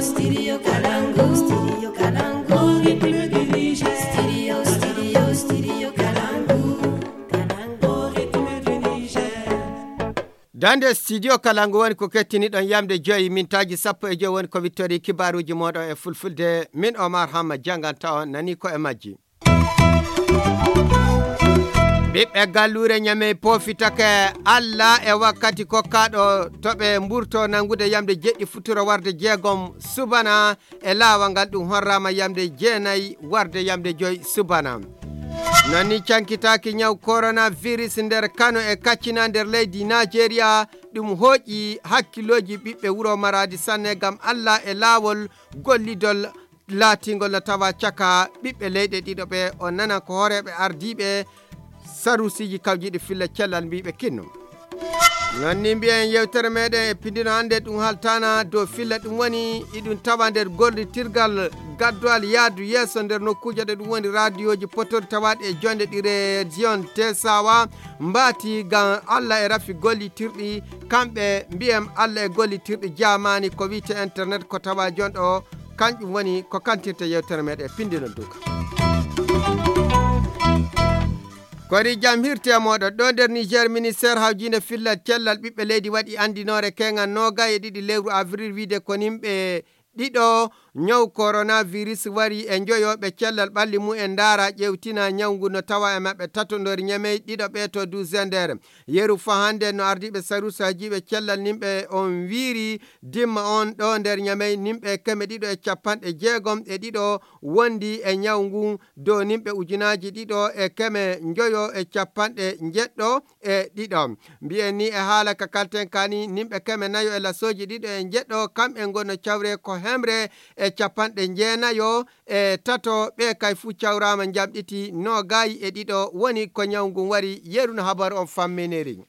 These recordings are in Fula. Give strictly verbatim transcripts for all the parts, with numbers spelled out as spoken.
Studio Kalangu, Studio Kalangu, Ritme du Niger. Studio, Studio, Studio Kalangu, Kalangu, Ritme du Niger. Dande studio Kalangu woni ko kettiniɗon yamde joyi mintaaji sappo e joyi woni ko wittori kibaaruuji mooɗon e fulfulde. Min Omar Hamma jannganta on nani ko e majji. Ɓiɓɓe galluure Ñamey poofitake Alla e wakkati kokkaaɗo to ɓe mburto nanngude yamde jeɗɗi futuro warde jeegom subana e laawol ngal, ɗum horraama yamde jeenayi warde yamde joyi subana. Nani cankitaaki ñaw coronavirus nder Kano e Katsina nder leydi Najeriya, ɗum hooƴi hakkillooji ɓiɓɓe wuro Maradi sanne ngam Alla e laawol gollidol laatingol no tawa caka ɓiɓɓe leyɗe ɗiɗo ɓe. On nanan ko hooreeɓe ardiiɓe sarusiiji kawjiiɗi filla cellal mbiiɓe kinno. Non ni mbiyen yewtere meɗen e pindino hannde ɗum haltana dow filla ɗum woni iɗum tawa nder gollitirgal gaddowal yaadu yeeso nder nokkuuje ɗe ɗum woni radioji potori tawaaɗi e jonde ɗi région Tesawa mbaati ngam Alla e rafi gollitirɗi kamɓe mbiyen Alla e gollitirɗi jaamaani ko wiyte internet ko tawa jonɗo. Kanƴum woni ko kantirta yewtere meɗen pindino duka. Kori jam hirte e moɗon ɗo nder Niger, ministère hawjinde fillal cellal ɓiɓɓe leydi waɗi andinoore keŋal noogay e ɗiɗi lewru avril wiide ko nimɓe ɗiɗo ñaw coronavirus wari e njoyoɓe cellal ɓalli mumen ndaara ƴewtina ñaw ngu no tawa e maɓɓe tato nder Ñamey, ɗiɗo ɓe to du zender. Yeru fa hannde no ardiiɓe saruusi hajiiɓe cellal nimɓe on wiiri dimma on ɗo nder Ñamey nimɓe keme ɗiɗo e capanɗe jeegom e ɗiɗo wondi e ñaw ngun dow nimɓe ujunaaji ɗiɗo e keme njoyo e capanɗe njeɗɗo e ɗiɗo. Mbiyen ni e haala ka kalten kani nimɓe keme nayo e lasooji ɗiɗo e njeɗɗo kamɓe ngonno cawre ko hemre e capanɗe njeenayo e tato ɓe kay fuu cawraama njamɗiti noogayi e ɗiɗo woni ko ñaw ngun wari. Yeru no habaru on famminiri.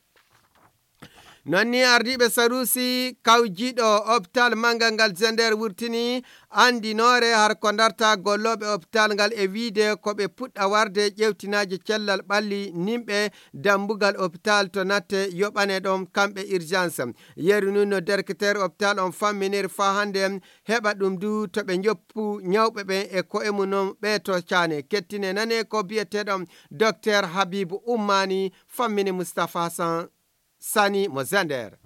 Non ni ardiiɓe saruusi kawjiiɗo hôpital manngal ngal zender wurtini andinoore har ko ndarta gollooɓe hôpital ngal e wiide ko ɓe puɗɗa warde ƴewtinaaji cellal ɓalli nimɓe dambugal hôpital to natte yoɓane ɗon kamɓe urgence. Yeru nun no directeur hôpital on famminiri faa hannde heɓa ɗum du to ɓe njoppu ñawɓe ɓen e ko'e mum non ɓe to caane. Kettine nane ko biyeteeɗo docteur Habibu Ummani fammini Mustapha Hassan Sani mo Zander.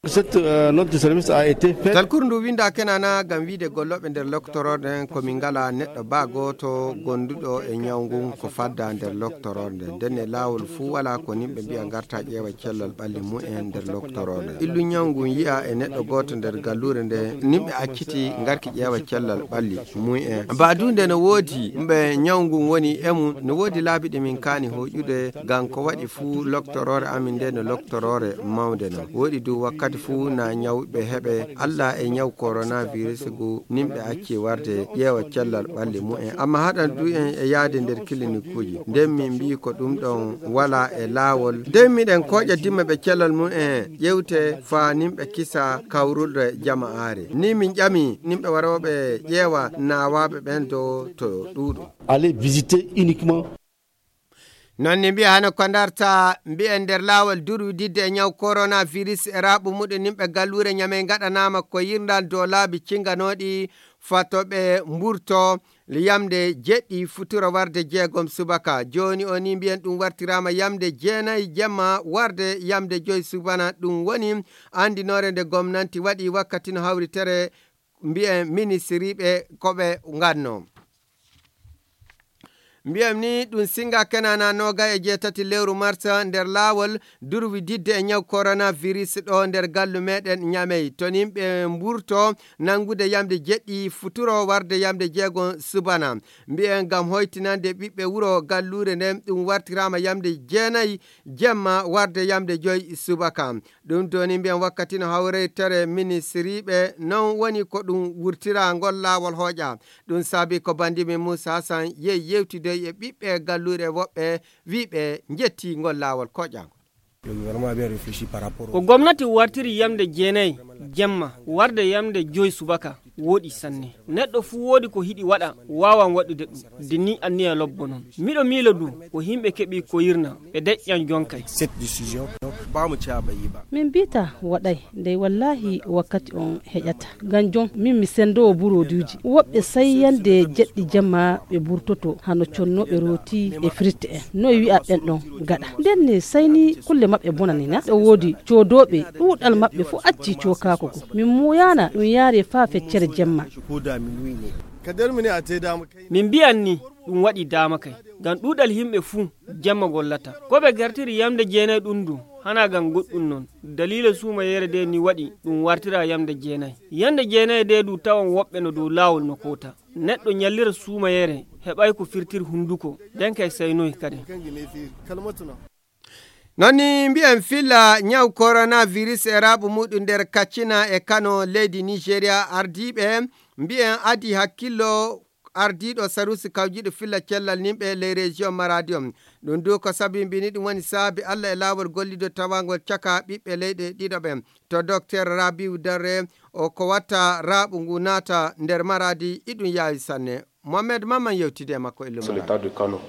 Cette, euh, note de service a été faite. Talkuru ndu winda kenana ngam wiide gollooɓe nder loktoroɗen ko min ngala neɗɗo baa gooto gonduɗo e ñaw ngun ko fadda nder loktoroɗe nden. Ndenne laawol fuu wala ko nimɓe mbi'a ngarta ƴeewa cellal ɓalli mumen nder loktoroɗe. Illu ñaw ngun yi'a e neɗɗo gooto nder galluure nde nimɓe acciti ngarki ƴeewa cellal ɓalli mumen. Baa du nde no woodi ɓe ñaw ngun woni e mum, no woodi laabi ɗi min kaani hoƴude ngam ko waɗi fuu loktoroore amin nde no loktoroore mawnde non. Woɗi du wakkati fuu na ñawɓe heɓe Alla e ñaw coronavirus ngu nimɓe acci warde ƴeewa cellal ɓalli mumen. Amma haɗan du en e yaade nder kilinikuuji. Nden min mbii ko ɗum ɗon wala e laawol. Nden miɗen kooƴa dimma ɓe cellal mumen ƴewte faa nimɓe kisa kawrulde jama'aare. Ni min ƴami nimɓe warooɓe ƴeewa naawaaɓe ɓen do to ɗuuɗu. Aller visiter uniquement. Non ni mbiya hano ko ndarta mbiyen nder laawol durwididde e ñaw coronavirus e raaɓu muɗum nimɓe galluure Ñamey ngaɗanaama ko yirndal dow laabi cinganooɗi fato ɓe mburto yamde jeɗɗi futuro warde jeegom subaka. Jooni o ni mbiyen ɗum wartiraama yamde jeenayi jemma warde yamde joyi subana. Ɗum woni andinoore nde gomnanti waɗi wakkati no hawritere mbiyen ministiriiɓe ko ɓe nganno. Mbiyen ni ɗum singa kenana noga e jeetati lewru marsa nder laawol durwi didde e ñaw coronavirus ɗo nder gallu meɗen Ñamey. To nimɓe mburto nangude yamde jeɗɗi futuro warde yamde jeego subana. Mbiyen ngam hoytinande ɓiɓɓe wuro galluure nden ɗum wartirama yamde jeenayi jemma warde yamde joyi subaka. Ɗum doni mbiyen wakkati no hawreytere ministiriiɓe non woni ko ɗum wurtira ngol laawol hooƴa. Ɗum saabi ko bandimi Muusa Hasan yehi yewtidoy e ɓiɓɓe galluure woɓɓe wiiɓe njetti ngol laawol koƴaango. Ko gomnati wartiri yamde jeenayi jemma warde yamde joyi subaka. Wooɗi sanne. Neɗɗo fuu woodi ko hiɗi waɗa, waawan waɗude ɗum. De ni anniya lobbo non. Miɗo miilo du, ko himɓe keɓi koyirna, ɓe deƴƴan jonkay. Min mbiita waɗay, dey wallaahi wakkati on heƴata. Ngam jon, min mi senndoowo burooduuji. Woɓɓe sai yande jeɗɗi jemma ɓe burtoto, hano connooɓe rooti e firte en. Noy wi'a ɓen ɗon gaɗa? Nden ne sai ni kulle maɓɓe bonani na? Ɗo woodi coodooɓe, ɗuuɗal maɓɓe fuu acci cookaako go. Min muuyaana ɗum yaare faa feccere jemma. Min mbi'an ni ɗum waɗi daama kay, ngam ɗuuɗal himɓe fuu jemma gollata. Ko ɓe gartiri yamnde jeenay ɗum du, hana ngam goɗɗum non. Daliila suumayeere de ni waɗi ɗum wartira yamnde jeenay. Yamnde jeenay de du tawan woɓɓe no dow laawol no koota. Neɗɗo nyallira suumayeere heɓay ko firtir hunduko, den kay saynoy kadi. Non ni mbi'en filla nyaw coronavirus e raaɓu muɗum nder Katsina e Kano leydi Nigeria ardiiɓe mbi'en adi hakkillo ardiiɗo sarusi kawjiiɗo filla cellal nimɓe ley région Maradi on. Ɗum du ko sabimbini ɗum woni saabi Allah e laawol gollido tawangol caka ɓiɓɓe leyɗe ɗiɗo ɓen. To Docteur Rabiu Darre o ko watta raaɓu ngu naata nder Maradi iɗum yaawi sanne. Mohamed Mamman yewtidi e makko e Sur Lumana. L'état de Kano.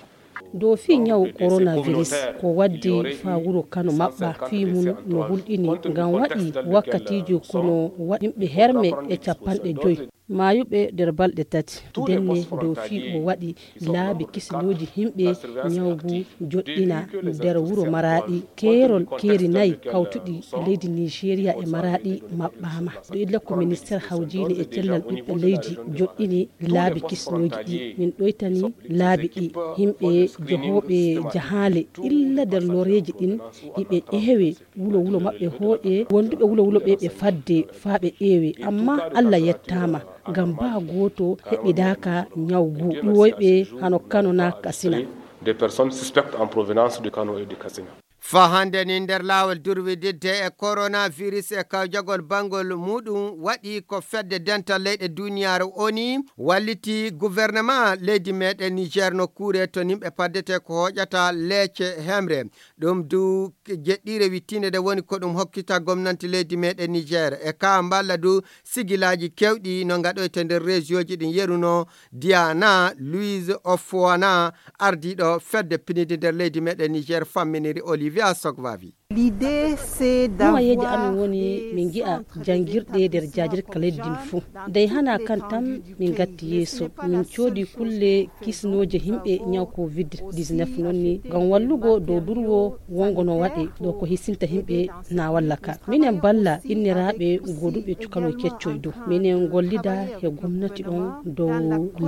Dow fii nyawu coronavirus ko waddi faa wuro Kano maɓɓa fii mun no hulɗini ngam waɗi wakkatiiji kono waɗi yimɓe herme e capanɗe joyi maayuɓe nder balɗe tati. Denne dow fii o waɗi laabi kisinooji yimɓe nyawu ngu joɗɗina nder wuro Maraaɗi. Keerol keeri nayi kawtuɗi e leydi Nigeria e Maraaɗi maɓɓaama. Ɗo illa ko ministeer hawjiinde e cellal ɓiɓɓe leydi joɗɗini laabi kisnooji ɗi. Min ɗoytani laabi ɗi. Yimɓe jahooɓe jahaale illa nder loreeji ɗin, iɓe ƴeewe wulo wulo maɓɓe hooƴe. Wonduɓe wulo wulo ɓe ɓe fadde faa ɓe ƴeewe. Amma Allah yettaama, ngam baa gooto heɓidaaka nyawu ngu. Ɗuwoyɓe hano Kano naa Katsina. Des personnes suspectes en provenance de Kano et de Katsina. Faa hannde ni nder laawol durwididde e coronavirus e kawjagol banngol muuɗum waɗi ko fedde dental leyɗe duuniyaaru O N U walliti gouvernement leydi meeɗen Niger nokkuure to nimɓe paddete ko hooƴata leece hemre. Ɗum du jeɗɗiire wittiinde nde woni ko ɗum hokkita gomnanti leydi meeɗen Niger. E kaa mballa du sigilaaji keewɗi no ngaɗoyte nder région ji ɗin yeruno Diana Louise Ofuana, ardiiɗo fedde pinidi nder leydi meeɗen Niger, famminiri Olivia Sogvavi. Nuwayeeje amin woni min ngi'a janngirɗe nder jaajirka leydi ndin fuu. Dey hanaa kan tan min ngatti yeeso, min coodi kulle kisnooje yimɓe nyaw covid dix-neuf non ni ngam wallugo dow durwo wongo no waɗe ɗo ko hisinta yimɓe na walla ka. Minen balla inniraaɓe gooduɓe cukaloy keccoy dow. Minen ngollida e gomnati on dow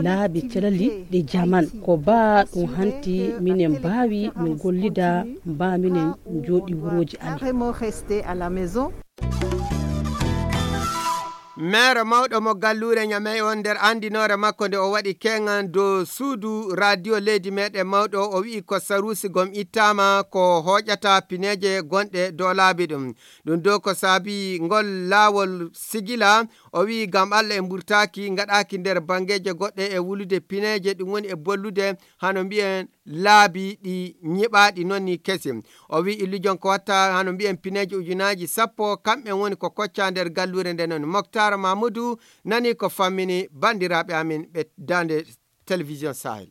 laabi calali ɗi jaman. Ko baa ɗum hanti minen mbaawi min gollida mbaa minen njooɗi wurooji amin. Meere mawɗo mo galluure Ñamey on nder anndinoore makko nde o waɗi keŋan dow suudu radio leydi meeɗen mawɗo, o wi'i ko saruusi gom ittaama ko hooƴata pineeje gonɗe dow laabi ɗum. Ɗum dow ko saabi ngol laawol sigila, o wi'i ngam Allah e mburtaaki ngaɗaaki nder banngeeje goɗɗe e wulude pineeje, ɗum woni e bollude hano mbi'en laabi ɗi ñiɓaaɗi non ni kesi. O wi'i illujon ko watta hano mbi'en pineeji ujunaaji sappo, kamɓe woni ko kocca nder galluure nde non. Moktar Mamudu nani ko fammini banndiraaɓe amin ɓe daande Télévision Sahel.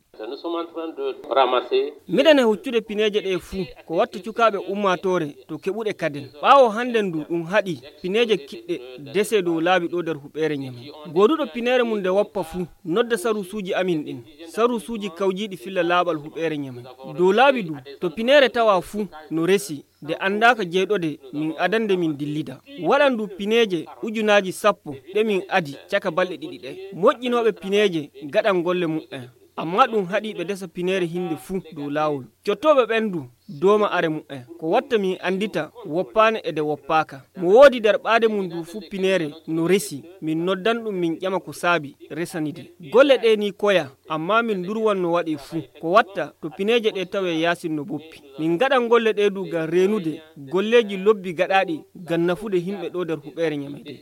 Miɗen e huccude pineeje ɗe fuu, ko watta cukaaɓe ummaatoore to keɓuɗe kaden. Ɓaawo hannden du ɗum haɗi pineeje kiɗɗe dese dow laabi ɗo nder huɓeere Ñamey. Gooduɗo pineere mum nde woppa fuu, nodda saruusuuji amin ɗin. Saruusuuji kawjiiɗi filla laaɓal huɓeere Ñamey. Dow laabi du, to pineere tawa fuu no resi, nde anndaaka jeyɗode min adande min dillida. Waɗan du pineeje ujunaaji sappo ɗe min adi caka balɗe ɗiɗi ɗe. Moƴƴinooɓe pineeje gaɗan golle muɓɓen. Amma ɗum haɗi ɓe desa pineere hinde fuu dow laawol. Cottooɓe ɓen du dooma are muɓɓen. Ko watta min anndita woppaane e nde woppaaka. Mo woodi nder ɓaade mum du fuu pineere no resi, min noddan ɗum min ƴama ko saabi resanide. Golle ɗe ni koya, amma min ndurwan no waɗe fuu. Ko watta to pineeje ɗe tawe yaasin no boppi. Min ngaɗan golle ɗe du ngam reenude golleeji lobbi gaɗaaɗi ngam nafude yimɓe ɗo nder huɓeere Ñamey de.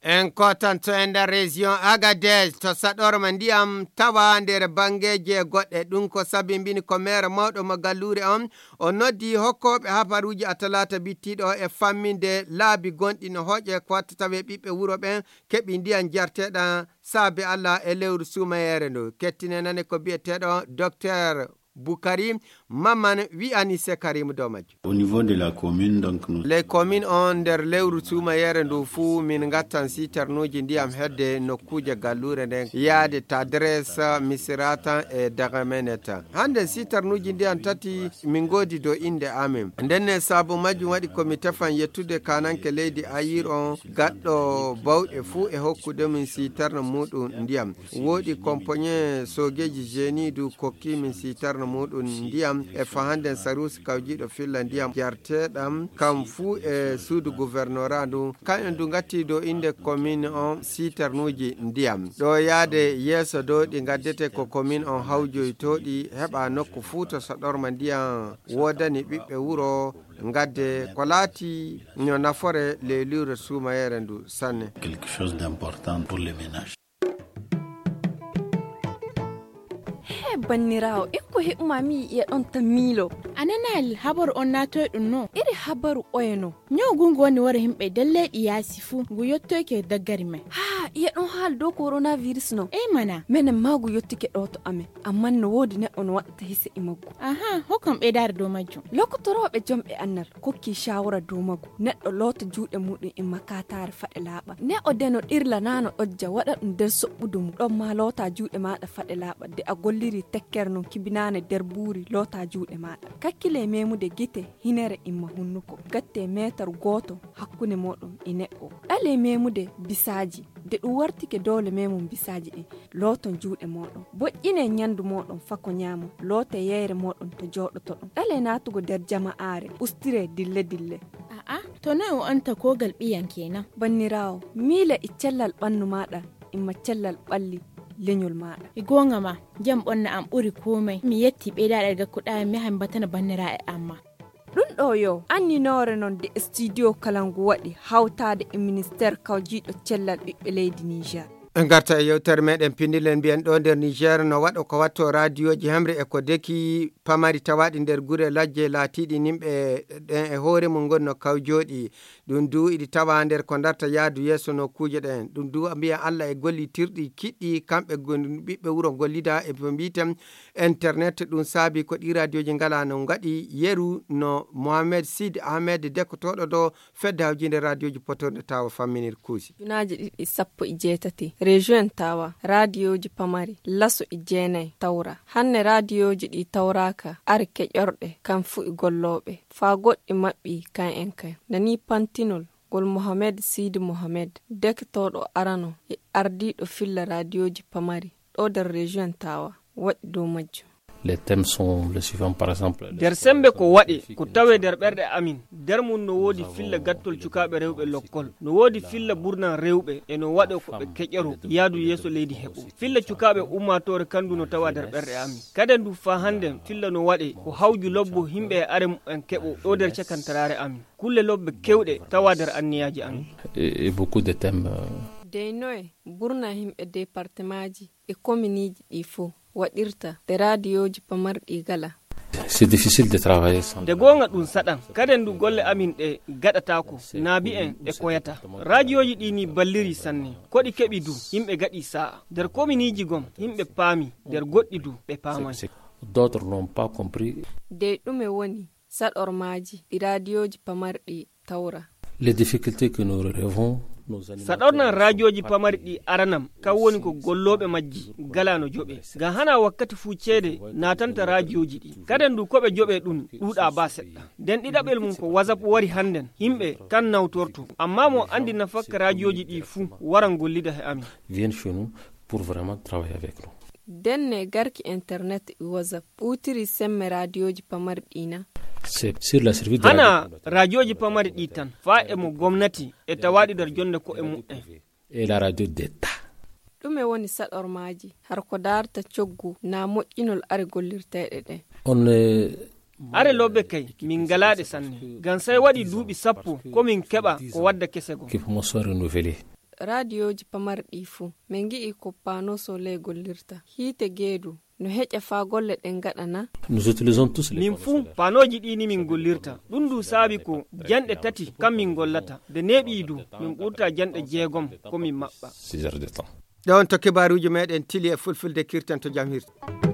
En kotanto e nder région Agadez to saɗorma ndiyam tawa nder banngeeje goɗɗe. Ɗum ko sabimbini Ko meere mawɗo mo galluure on, o noddi hokkooɓe habaruuji a talaata bittiiɗo e famminde laabi gonɗi no hooƴe ko watta tawe ɓiɓɓe wuro ɓen keɓi ndiyan jarteeɗan saabe Allah e lewru suumayeere ndu. Kettine nane ko bi'eteeɗo Doktor Bukari Maman wi'ani se Karim dow majjum. Au niveau de la commune, donc, nous Les communes on nder lewru suumayeere ndu fuu min ngattan sitarnuuji ndiyam hedde nokkuuje galluure nden yaade Tadres, Misiratan e Dagameneta. Hande sitarnuuji ndiyam tati min ngoodi dow innde amin. Ndenne sabu majjum waɗi ko mi tefan yettude kaananke leydi Ayir on gaɗɗo bawɗe fuu e hokkude min sitarna muuɗum ndiyam. Wooɗi kompoñe soogeeji jeeni du kokki min sitarna muuɗum ndiyam e fahanden saruusi kawjiiɗo filla ndiyam jarteeɗam kam fuu e suudu gouvernorat ndu. Kañum du ngatti dow innde commune on sitarnuuji ndiyam. Ɗo yaade yeeso dow ɗi ngaddete ko commune on hawjoytooɗi heɓa nokku fuu to saɗorma ndiyam woodani ɓiɓɓe wuro ngadde ko laati no nafore leyluure suumayeere ndu sanne. Quelque chose d'important pour les ménages. He banniraawo, ikko heɓuma mi yi'e ɗon ta miilo. A nanaali habaru on naatoy ɗum no? Iri habaru oye no? Ñaw gungu woni wara himɓe nder leyɗi yaasi fuu, ngu yottoyke daggari men. Haa, iye ɗon haali dow coronavirus no? Ey mana. Menen maa ngu yottike ɗo to amen. Amman no woodi neɗɗo no waɗata hise e maggu. Aha, hokkam ɓeydaare dow majjum. Lokotorooɓe jomɓe annal kokki shawara dow maggu. Neɗɗo loota juuɗe muɗum e makataare faɗe laaɓa. Neɗɗo de no ɗirla naa no ɗojja waɗa ɗum nder soɓɓudu mum. Ɗon maa loota juuɗe maaɗa faɗe laaɓa. De a golliri tekkere non kibinaane nder buuri loota juuɗe maaɗa. Kakkile memude gite, hinere imma hunnuko. Gatte meetar gooto hakkunde mooɗon e neɗɗo. Ɗale memude bisaaji. De ɗum wartike doole memum bisaaji ɗin. Looton juuɗe mooɗon. Boƴƴinee ñandu mooɗon fako ñaamon. Lootee yeyre mooɗon to jooɗotoɗon. Ɗalee naatugo nder jama'aare. Ustiree dille-dille. A'a, to noy o anta kogal ɓiyan kenan? Banniraawo, miile e cellal ɓannu maaɗa, imma cellal ɓalli leñol maaɗa. E goonga ma, jam ɓonna am ɓuri komai. Mi yetti ɓeydaaɗe gakkuɗaa mi yaha mi batana banniraaɓe am ma. Ɗum ɗo yo anninoore non de studio Kalangu waɗi hawtaade e ministeer kawjiiɗo cellal ɓiɓɓe leydi Niger. En ngarta e yewtere meɗen pindilen mbiyen ɗo nder Niger no waɗo ko watto raadiyooji hemre e ko deki pamari tawaaɗi nder gure lajje laatiiɗi nimɓe ɗen e hoore mum ngoni no kawjooɗi. Ɗum du iɗi tawa nder ko darta yaadu yeeso nokkuuje ɗen. Ɗum du mbiyen Allah e gollitirɗi kiɗɗi kamɓe gon-, ɓiɓɓe wuro gollida e ko mbiten internet. Ɗum saabi ko ɗi raadiyooji ngala no ngaɗi yeru no Mohamed Sid Ahmed dekkotooɗo ɗo fedde hawjinde raadiyooji potorɗe tawa famminir kuusi. Junaaji ɗiɗi sappo e jeetati, région en tawa, raadiyooji pamari, laso e jeenayi tawra. Hanne raadiyooji ɗi tawraaka, ari keƴorɗe, kam fu e gollooɓe, faa goɗɗi maɓɓi kan en kan. Nani pantinol, ngol Mohamed Sidi Mohamed, dekkotooɗo arano e ardiiɗo filla raadiyooji pamari, ɗo nder région en tawa, waɗi dow majjum. Les thèmes sont les suivants, par exemple. Nder sembe ko waɗe, ko tawe nder ɓerɗe amin. Nder mum no woodi filla gattol cukaaɓe rewɓe lokkol. No woodi filla burnan rewɓe e no waɗo ko ɓe keƴoro yaadu yeeso leydi heɓo. Filla cukaaɓe ummaatoore kandu no tawa nder ɓerɗe amin. Kaden du faa hannden filla no waɗe ko hawju lobbo himɓe e are mumen keɓo ɗo nder cakantaraare amin. Kulle lobbe kewɗe tawa nder anniyaaji amin. Et, et beaucoup de thèmes, euh, Dey noye burna himɓe departemaaji e kominiiji ɗi fow waɗirta nde raadiyooji pamarɗi gala. C'est difficile de travailler sans. Nde goonga ɗum saɗan, kaden du golle amin ɗe gaɗataako, naabi en ɗe koyata. Raadiyooji ɗi ni balliri sanne, ko ɗi keɓi du, yimɓe gaɗi saa'a. Nder kominiiji gom, yimɓe paami, nder goɗɗi du, ɓe paamay. C'est, c'est, d'autres n'ont pas compris. Dey ɗume woni saɗormaaji ɗi raadiyooji pamarɗi tawra. Les difficultés que nous relevons, nos animateurs. Saɗornan raadiyooji pamari ɗi aranam, kan woni ko gollooɓe majji gala no joɓe. Ngam hana wakkati fuu ceede naatanta raadiyooji ɗi. Kaden du ko ɓe joɓe ɗum ɗuuɗa ba seɗɗa. Nden ɗiɗaɓel mum ko WhatsApp wari hannden, yimɓe kan nawtorto. Amma mo anndi nafakka raadiyooji ɗi fuu waran gollida he amin. Viennent chez nous pour vraiment travailler avec nous. Denne garki internet e WhatsApp ɓuutiri semme raadiyooji pamarɗi na. C'est sur la survie de. Hana radio communautaire. Raadiyooji pamari ɗi tan, faa e mo gomnati e tawaaɗi nder jonde ko'e mumen. Et la radio d'État. Ɗume woni saɗormaaji, har ko daarta coggu naa moƴƴinol are gollirteeɗe ɗen? On, euh, are lobbe kay, min ngalaaɗe sanne. Ngam sey waɗi duuɓi sappo, ko min keɓa ko wadda kese gom. Qui commence à renouveler. Raadiyooji pamarɗi fuu, min ngi'i ko paano soleil gollirta. Hiite geedu, no heƴa faa golle ɗen ngaɗa na? Nous utilisons tous les Min panneaux fuu solaires. Panooji ɗi ni min gollirta. Ɗum ndu saabi ko janɗe tati kam min gollata. Nde neeɓi du, min ɓurta janɗe jeegom ko min maɓɓa. Six heures de temps. Ɗon to kibaaruuji meɗen tili e fulfulde kirten to jam hirta.